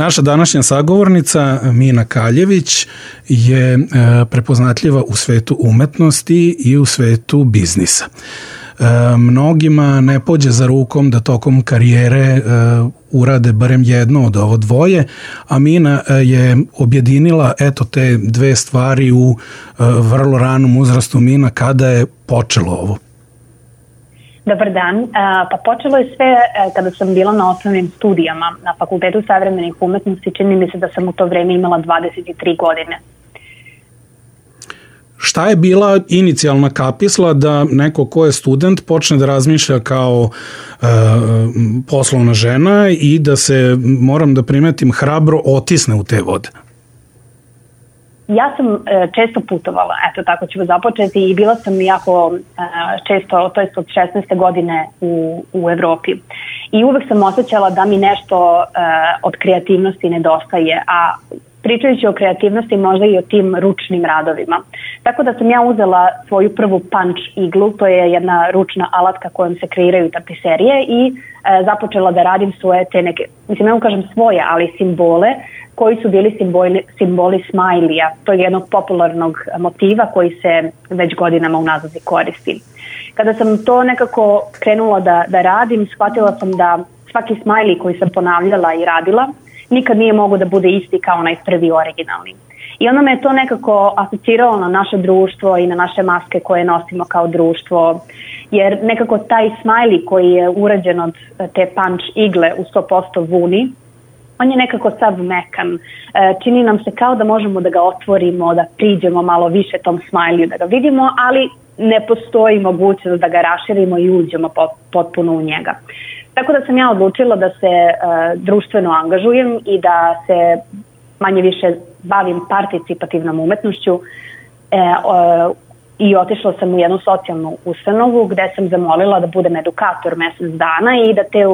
Naša današnja sagovornica Mina Kaljević je prepoznatljiva u svetu umetnosti i u svetu biznisa. Mnogima ne pođe za rukom da tokom karijere urade barem jedno od ovo dvoje, a Mina je objedinila te dve stvari u vrlo ranom uzrastu. Mina, kada je počelo ovo? Dobar dan. Pa počelo je sve kada sam bila na osnovnim studijama na Fakultetu savremenih umetnosti. Čini mi se da sam u to vreme imala 23 godine. Šta je bila inicijalna kapisla da neko ko je student počne da razmišlja kao poslovna žena i da se, moram da primetim, hrabro otisne u te vode? Ja sam često putovala, eto tako ću započeti, i bila sam jako često, to jest od 16. godine u Evropi. I uvek sam osjećala da mi nešto od kreativnosti nedostaje, a pričajući o kreativnosti možda i o tim ručnim radovima. Tako da sam ja uzela svoju prvu punch iglu, to je jedna ručna alatka kojom se kreiraju tapiserije, i započela da radim svoje te neke, mislim, ne kažem svoje, ali simbole koji su bili simboli smajlija. To je jednog popularnog motiva koji se već godinama unazad koristi. Kada sam to nekako krenula da radim, shvatila sam da svaki smajli koji sam ponavljala i radila nikad nije mogo da bude isti kao onaj prvi originalni. I onda me je to nekako asociralo na naše društvo i na naše maske koje nosimo kao društvo, jer nekako taj smajli koji je urađen od te punch igle u 100% vuni, on je nekako sav mekan. Čini nam se kao da možemo da ga otvorimo, da priđemo malo više tom smajliju, da ga vidimo, ali ne postoji mogućnost da ga raširimo i uđemo potpuno u njega. Tako da sam ja odlučila da se društveno angažujem i da se manje više bavim participativnom umetnošću i otišla sam u jednu socijalnu ustanovu gde sam zamolila da budem edukator mesec dana i da te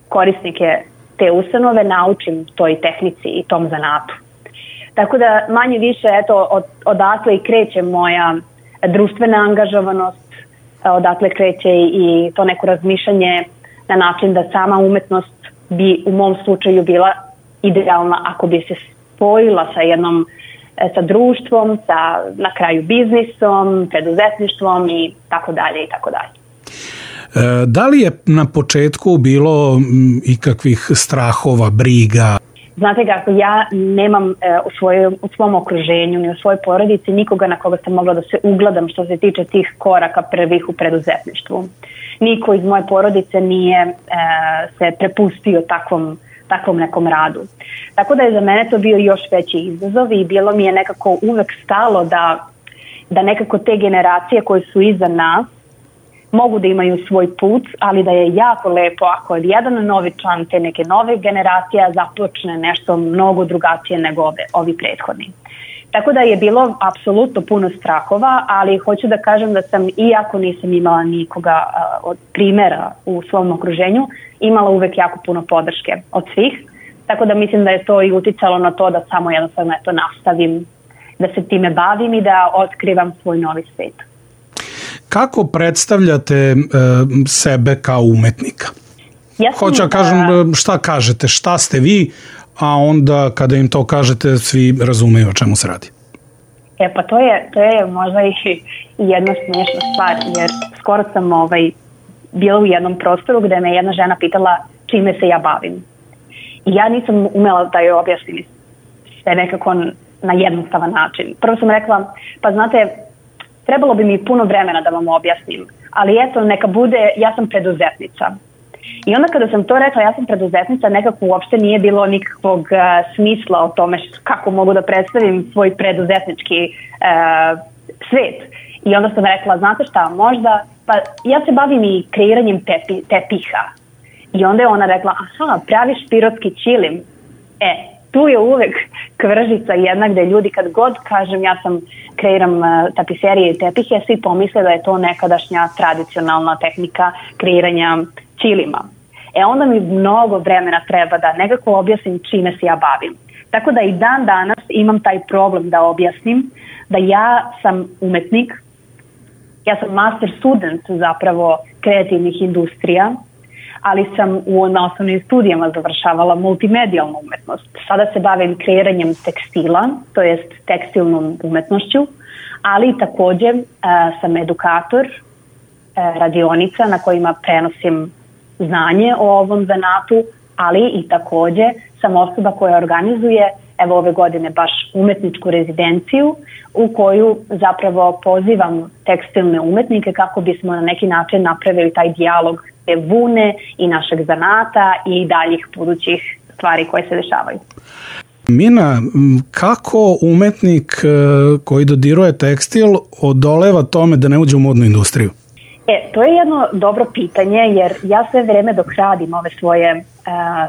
korisnike te ustanove naučim toj tehnici i tom zanatu. Tako da manje više odatle i kreće moja društvena angažovanost, odatle kreće i to neko razmišljanje na način da sama umetnost bi u mom slučaju bila idealna ako bi se spojila sa društvom, sa na kraju biznisom, preduzetništvom i tako dalje i tako dalje. Da li je na početku bilo ikakvih strahova, briga? Znate kako, ja nemam u svom okruženju ni u svojoj porodici nikoga na koga sam mogla da se ugledam što se tiče tih koraka prvih u preduzetništvu. Niko iz moje porodice nije se prepustio takvom nekom radu. Tako da je za mene to bio još veći izazov i bilo mi je nekako uvek stalo da nekako te generacije koje su iza nas mogu da imaju svoj put, ali da je jako lepo ako jedan novi član te neke nove generacije započne nešto mnogo drugačije nego ovi prethodni. Tako da je bilo apsolutno puno strahova, ali hoću da kažem da sam, iako nisam imala nikoga od primjera u svom okruženju, imala uvek jako puno podrške od svih. Tako da mislim da je to i uticalo na to da samo jednostavno nastavim da se time bavim i da otkrivam svoj novi svet. Kako predstavljate sebe kao umetnika? Hoću da kažem, šta kažete, šta ste vi, a onda kada im to kažete svi razumeju o čemu se radi. Pa to je možda i jedna smiješna stvar, jer skoro sam bila u jednom prostoru gde me jedna žena pitala čime se ja bavim. I ja nisam umela da joj objasnim sve nekako na jednostavan način. Prvo sam rekla, pa znate, trebalo bi mi puno vremena da vam objasnim, ali eto, neka bude, ja sam preduzetnica. I onda kada sam to rekla, ja sam preduzetnica, nekako uopšte nije bilo nikakvog smisla o tome kako mogu da predstavim svoj preduzetnički svet. I onda sam rekla, znate šta, možda, pa ja se bavim i kreiranjem tepiha. I onda je ona rekla, aha, praviš pirotski ćilim. Tu je uvek kvržica jedna gde ljudi kad god kažem ja kreiram tapiserije i tepihe, svi pomisle da je to nekadašnja tradicionalna tehnika kreiranja ćilima. Onda mi mnogo vremena treba da nekako objasnim čime se ja bavim. Tako da i dan danas imam taj problem da objasnim da ja sam umetnik, ja sam master student zapravo kreativnih industrija, ali sam na osnovnim studijama završavala multimedijalnu umetnost. Sada se bavim kreiranjem tekstila, to jest tekstilnom umetnošću, ali takođe sam edukator radionica na kojima prenosim znanje o ovom zanatu, ali i takođe sam osoba koja organizuje, evo ove godine baš umetničku rezidenciju u koju zapravo pozivam tekstilne umetnike kako bismo na neki način napravili taj dijalog te vune i našeg zanata i daljih budućih stvari koje se dešavaju. Mina, kako umetnik koji dodiruje tekstil odoleva tome da ne uđe u modnu industriju? To je jedno dobro pitanje, jer ja sve vreme dok radim ove svoje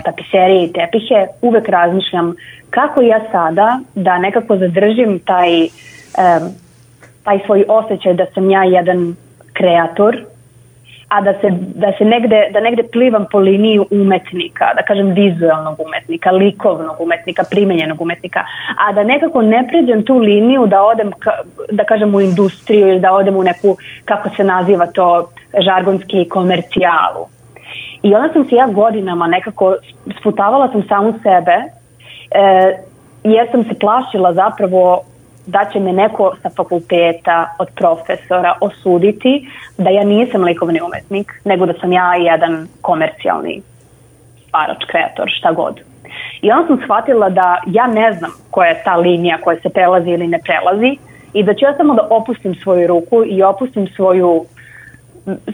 tapiserije i tepihe uvek razmišljam kako ja sada da nekako zadržim taj svoj osjećaj da sam ja jedan kreator, a da negde plivam po liniji umetnika, da kažem vizualnog umetnika, likovnog umetnika, primenjenog umetnika, a da nekako ne pređem tu liniju da odem, da kažem, u industriju ili da odem u neku, kako se naziva to, žargonski komercijalu. I onda sam se ja godinama nekako sputavala sam samu sebe, jer sam se plašila zapravo da će me neko sa fakulteta od profesora osuditi da ja nisam likovni umetnik, nego da sam ja jedan komercijalni stvarač, kreator, šta god. I onda sam shvatila da ja ne znam koja je ta linija koja se prelazi ili ne prelazi i da ću ja samo da opustim svoju ruku i opustim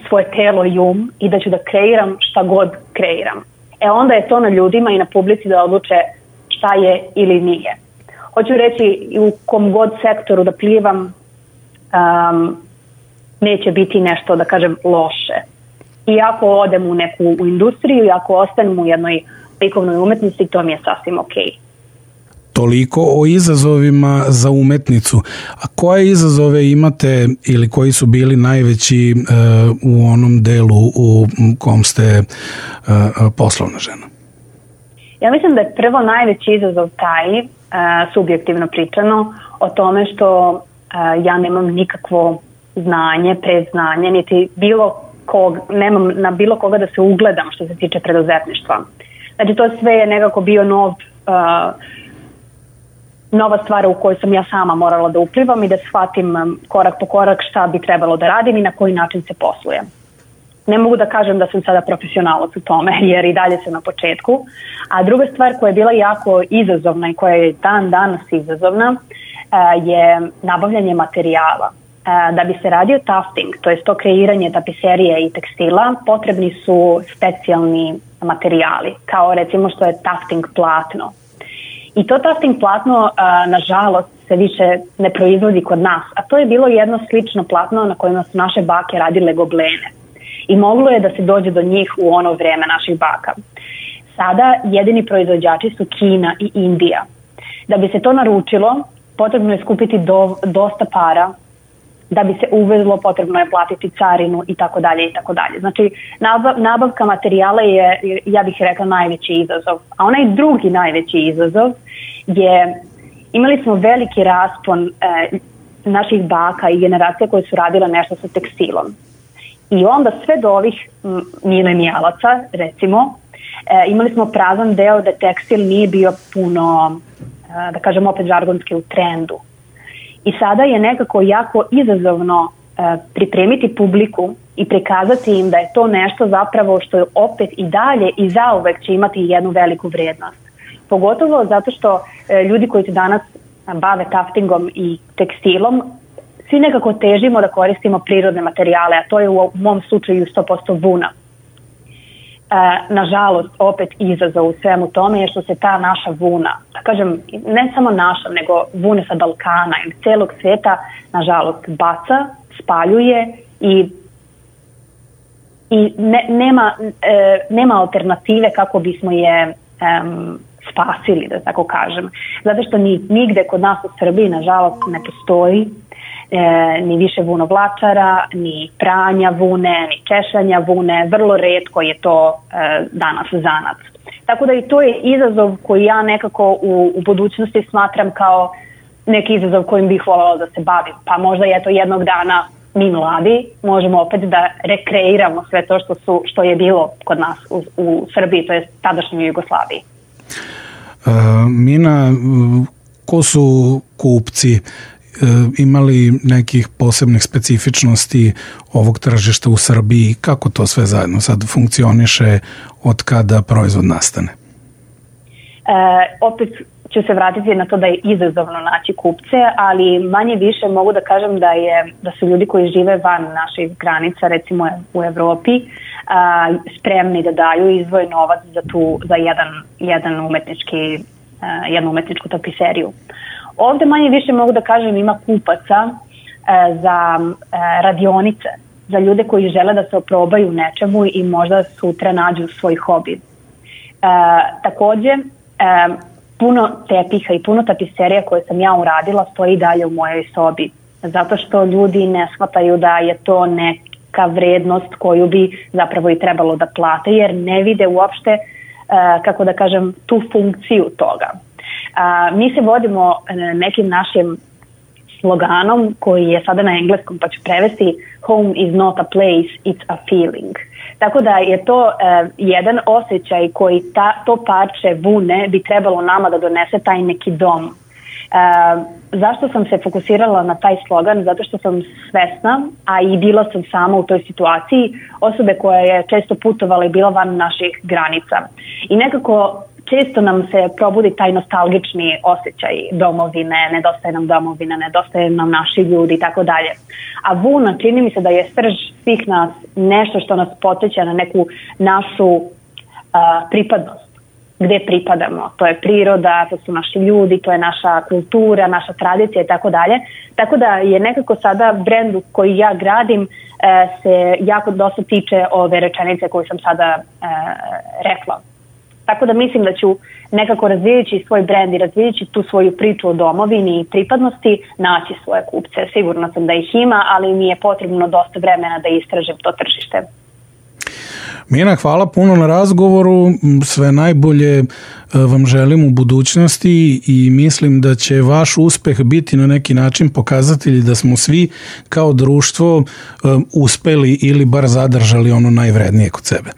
svoje telo i i da ću da kreiram šta god kreiram. Onda je to na ljudima i na publici da odluče šta je ili nije. Hoću reći, u kom god sektoru da plivam neće biti nešto, da kažem, loše. I ako odem u neku industriju i ako ostanem u jednoj likovnoj umetnosti, to mi je sasvim okej. Toliko o izazovima za umetnicu. A koje izazove imate ili koji su bili najveći u onom delu u kom ste poslovna žena? Ja mislim da je prvo najveći izazov taj, subjektivno pričano, o tome što ja nemam nikakvo znanje, predznanje, niti nemam na bilo koga da se ugledam što se tiče preduzetništva. Znači to sve je nekako bio nova stvar u kojoj sam ja sama morala da uplivam i da shvatim korak po korak šta bi trebalo da radim i na koji način se posluje. Ne mogu da kažem da sam sada profesionalac u tome, jer i dalje sam na početku. A druga stvar koja je bila jako izazovna i koja je dan danas izazovna je nabavljanje materijala. Da bi se radio tufting, to je to kreiranje tapiserije i tekstila, potrebni su specijalni materijali, kao recimo što je tufting platno. I to tufting platno, nažalost, se više ne proizvodi kod nas, a to je bilo jedno slično platno na kojima su naše bake radile goblene. I moglo je da se dođe do njih u ono vreme naših baka. Sada jedini proizvođači su Kina i Indija. Da bi se to naručilo, potrebno je skupiti dosta para. Da bi se uvezlo, potrebno je platiti carinu i tako dalje i tako dalje. Znači, nabavka materijala je, ja bih rekla, najveći izazov. A onaj drugi najveći izazov je, imali smo veliki raspon naših baka i generacija koje su radile nešto sa tekstilom. I onda sve do ovih milenijalaca, recimo, imali smo prazan deo da tekstil nije bio puno, da kažem opet žargonski, u trendu. I sada je nekako jako izazovno pripremiti publiku i prikazati im da je to nešto zapravo što je opet i dalje i zauvek će imati jednu veliku vrednost. Pogotovo zato što ljudi koji se danas bave tuftingom i tekstilom, svi nekako težimo da koristimo prirodne materijale, a to je u mom slučaju 100% vuna. Nažalost, opet izazov u svemu tome je što se ta naša vuna, da kažem, ne samo naša, nego vune sa Balkana ili celog sveta, nažalost, baca, spaljuje i nema alternative kako bismo je spasili, da tako kažem. Zato što nigde kod nas u Srbiji, nažalost, ne postoji ni više vunovlačara, ni pranja vune, ni češanja vune, vrlo retko je to danas zanat. Tako da i to je izazov koji ja nekako u budućnosti smatram kao neki izazov kojim bih voljela da se bavim. Pa možda je to jednog dana mi mladi možemo opet da rekreiramo sve to što je bilo kod nas u Srbiji, to je tadašnjoj Jugoslaviji. Mina, ko su kupci? Imali nekih posebnih specifičnosti ovog tržišta u Srbiji? Kako to sve zajedno sad funkcioniše od kada proizvod nastane? Opet ću se vratiti na to da je izazovno naći kupce, ali manje više mogu da kažem da su ljudi koji žive van naših granica, recimo u Evropi, spremni da daju izdvoje novac za jednu umetničku tapiseriju. Ovde manje više mogu da kažem ima kupaca za radionice, za ljude koji žele da se oprobaju nečemu i možda sutra nađu svoj hobi. Takođe, puno tepiha i puno tapiserija koje sam ja uradila stoji dalje u mojoj sobi, zato što ljudi ne shvataju da je to neka vrednost koju bi zapravo i trebalo da plate, jer ne vide uopšte, kako da kažem, tu funkciju toga. Mi se vodimo nekim našim sloganom koji je sada na engleskom, pa ću prevesti: home is not a place, it's a feeling. Tako da je to jedan osjećaj koji to parče vune bi trebalo nama da donese taj neki dom. Zašto sam se fokusirala na taj slogan? Zato što sam svesna, a i bila sam sama u toj situaciji, osobe koja je često putovala i bila van naših granica. I nekako često nam se probudi taj nostalgični osjećaj domovine, nedostaje nam domovina, nedostaje nam naši ljudi i tako dalje. A vuna, čini mi se da je srž svih nas, nešto što nas podsjeća na neku našu pripadnost. Gde pripadamo, to je priroda, to su naši ljudi, to je naša kultura, naša tradicija i tako dalje. Tako da je nekako sada brend koji ja gradim se jako dosta tiče ove rečenice koju sam sada rekla. Tako da mislim da ću nekako razvijajući svoj brend i razvijajući tu svoju priču o domovini i pripadnosti naći svoje kupce. Sigurno sam da ih ima, ali mi je potrebno dosta vremena da istražim to tržište. Mina, hvala puno na razgovoru, sve najbolje vam želim u budućnosti i mislim da će vaš uspeh biti na neki način pokazatelj da smo svi kao društvo uspeli ili bar zadržali ono najvrednije kod sebe.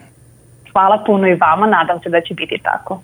Hvala puno i vama, nadam se da će biti tako.